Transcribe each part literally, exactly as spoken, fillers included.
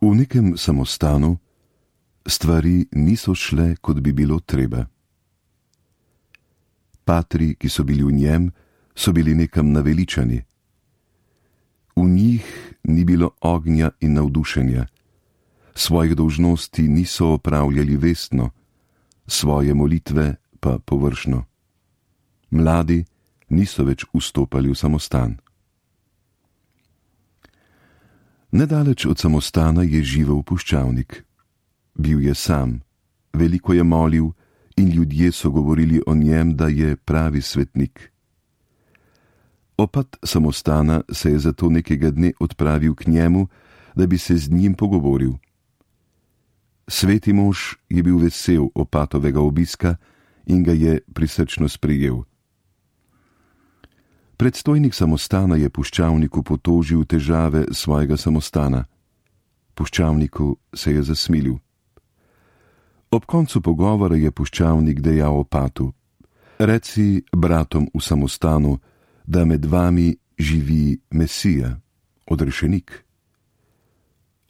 V nekem samostanu stvari niso šle, kot bi bilo treba. Patri, ki so bili v njem, so bili nekam naveličani. V njih ni bilo ognja in navdušenja, svojih dolžnosti niso opravljali vestno, svoje molitve pa površno. Mladi niso več vstopali v samostan. Nedaleč od samostana je živel puščavnik. Bil je sam, veliko je molil in ljudje so govorili o njem, da je pravi svetnik. Opat samostana se je zato nekega dne odpravil k njemu, da bi se z njim pogovoril. Sveti mož je bil vesel opatovega obiska in ga je prisrčno sprejel. Predstojnik samostana je puščavniku potožil težave svojega samostana. Puščavniku se je zasmilil. Ob koncu pogovora je puščavnik dejal opatu: Reci bratom v samostanu, da med vami živi Mesija, odrešenik.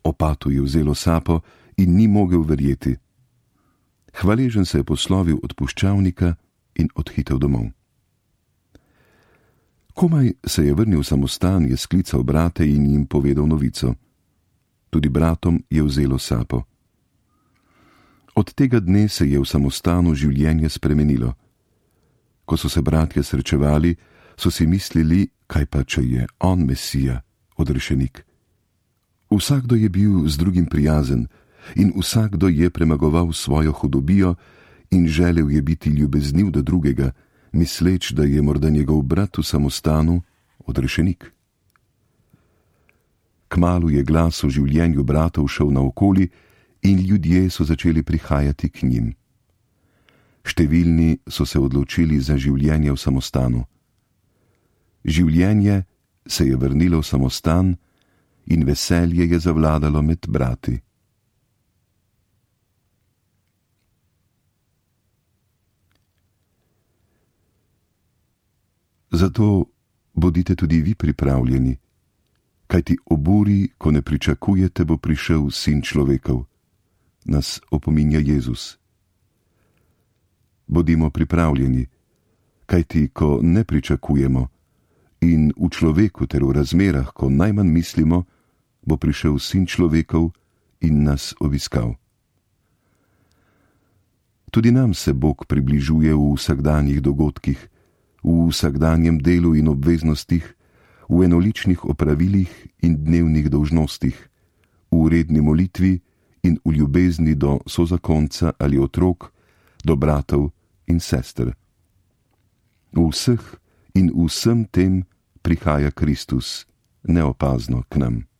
Opatu je vzelo sapo in ni mogel verjeti. Hvaležen se je poslovil od puščavnika in odhitel domov. Komaj se je vrnil v samostan, je sklical brate in jim povedal novico. Tudi bratom je vzelo sapo. Od tega dne se je v samostanu življenje spremenilo. Ko so se bratje srečevali, so si mislili, kaj pa, če je on Mesija, odrešenik. Vsakdo je bil z drugim prijazen in vsakdo je premagoval svojo hudobijo in želel je biti ljubezniv do drugega, misleč, da je morda njegov brat v samostanu odrešenik. Kmalu je glas o življenju bratov šel naokoli in ljudje so začeli prihajati k njim. Številni so se odločili za življenje v samostanu. Življenje se je vrnilo v samostan in veselje je zavladalo med brati. Zato bodite tudi vi pripravljeni, kajti ob uri, ko ne pričakujete, bo prišel Sin človekov, nas opominja Jezus. Bodimo pripravljeni, kajti ko ne pričakujemo in v človeku ter v razmerah, ko najmanj mislimo, bo prišel Sin človekov in nas obiskal. Tudi nam se Bog približuje v vsakdanjih dogodkih, v vsakdanjem delu in obveznostih, v enoličnih opravilih in dnevnih dolžnostih, v redni molitvi in v ljubezni do sozakonca ali otrok, do bratov in sester. V vseh in vsem tem prihaja Kristus neopazno k nam.